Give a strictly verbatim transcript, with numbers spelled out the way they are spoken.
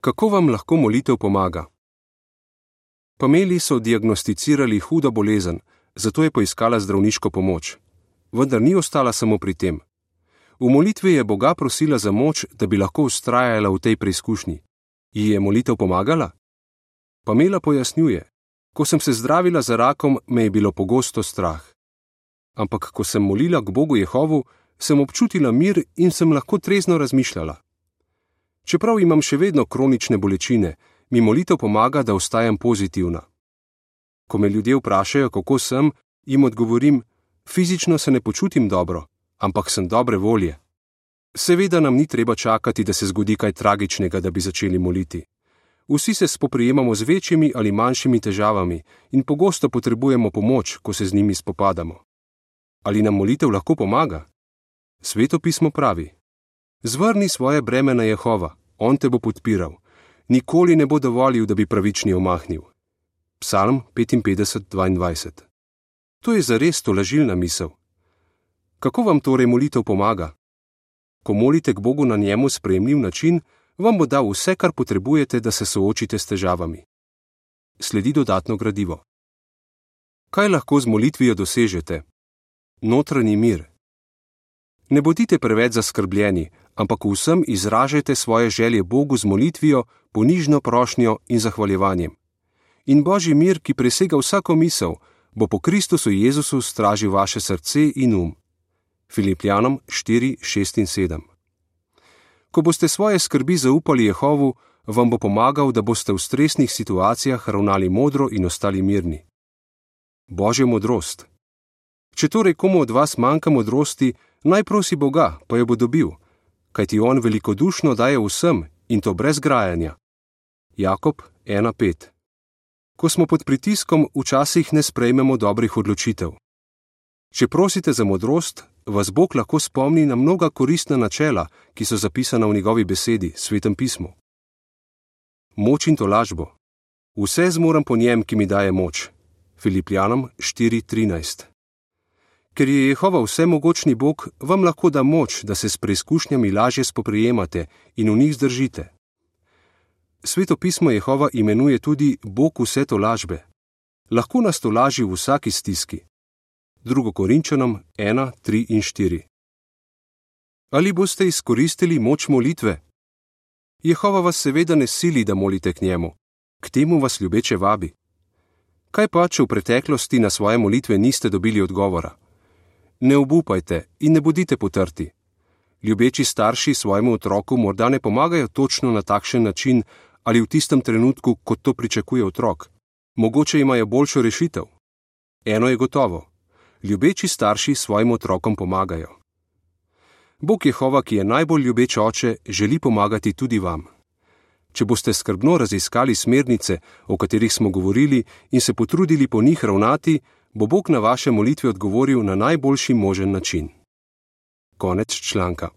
Kako vam lahko molitev pomaga? Pameli so diagnosticirali hudo bolezen, zato je poiskala zdravniško pomoč. Vendar ni ostala samo pri tem. V molitvi je Boga prosila za moč, da bi lahko vztrajala v tej preizkušnji. Ji je molitev pomagala? Pamela pojasnjuje: ko sem se zdravila za rakom, me je bilo pogosto strah. Ampak ko sem molila k Bogu Jehovu, sem občutila mir in sem lahko trezno razmišljala. Čeprav imam še vedno kronične bolečine, mi molitev pomaga, da ostajam pozitivna. Ko me ljudje vprašajo, kako sem, jim odgovorim: fizično se ne počutim dobro, ampak sem dobre volje. Seveda nam ni treba čakati, da se zgodi kaj tragičnega, da bi začeli moliti. Vsi se spoprijemamo z večjimi ali manjšimi težavami in pogosto potrebujemo pomoč, ko se z njimi spopadamo. Ali nam molitev lahko pomaga? Sveto pismo pravi: zvrni svoje breme na Jehova, on te bo podpiral. Nikoli ne bo dovolil, da bi pravični omahnil. Psalm petinpetdeset dvaindvajset. To je zares tolažilna misel. Kako vam torej molitev pomaga? Ko molite k Bogu na njemu sprejemljiv način, vam bo dal vse, kar potrebujete, da se soočite s težavami. Sledi dodatno gradivo. Kaj lahko z molitvijo dosežete? Notranji mir. Ne bodite preveč zaskrbljeni, ampak vsem izražajte svoje želje Bogu z molitvijo, ponižno prošnjo in zahvaljevanjem. In Božji mir, ki presega vsako misel, bo po Kristusu Jezusu stražil vaše srce in um. Filipljanom štiri, šest in sedem. Ko boste svoje skrbi zaupali Jehovu, vam bo pomagal, da boste v stresnih situacijah ravnali modro in ostali mirni. Božja modrost. Če torej komu od vas manjka modrosti, naj prosi Boga, pa jo bo dobil, kajti on velikodušno daje vsem in to brez grajanja. Jakob ena pet. Ko smo pod pritiskom, včasih ne sprejmemo dobrih odločitev. Če prosite za modrost, vas Bog lahko spomni na mnoga koristna načela, ki so zapisana v njegovi besedi, Svetem pismu. Moč in tolažbo. Vse zmorem po njem, ki mi daje moč. Filipljanom štiri trinajst. Ker je Jehova vsemogočni Bog, vam lahko da moč, da se s preizkušnjami lažje spoprijemate in v njih zdržite. Sveto pismo Jehova imenuje tudi Bog vse tolažbe. Lahko nas tolaži v vsaki stiski. Drugo Korinčanom ena, tri in štiri. Ali boste izkoristili moč molitve? Jehova vas seveda ne sili, da molite k njemu. K temu vas ljubeče vabi. Kaj pa, če v preteklosti na svoje molitve niste dobili odgovora? Ne obupajte in ne bodite potrti. Ljubeči starši svojemu otroku morda ne pomagajo točno na takšen način ali v tistem trenutku, kot to pričakuje otrok. Mogoče imajo boljšo rešitev. Eno je gotovo. Ljubeči starši svojim otrokom pomagajo. Bog Jehova, ki je najbolj ljubeč oče, želi pomagati tudi vam. Če boste skrbno raziskali smernice, o katerih smo govorili, in se potrudili po njih ravnati, bo Bog na vaše molitve odgovoril na najboljši možen način. Konec članka.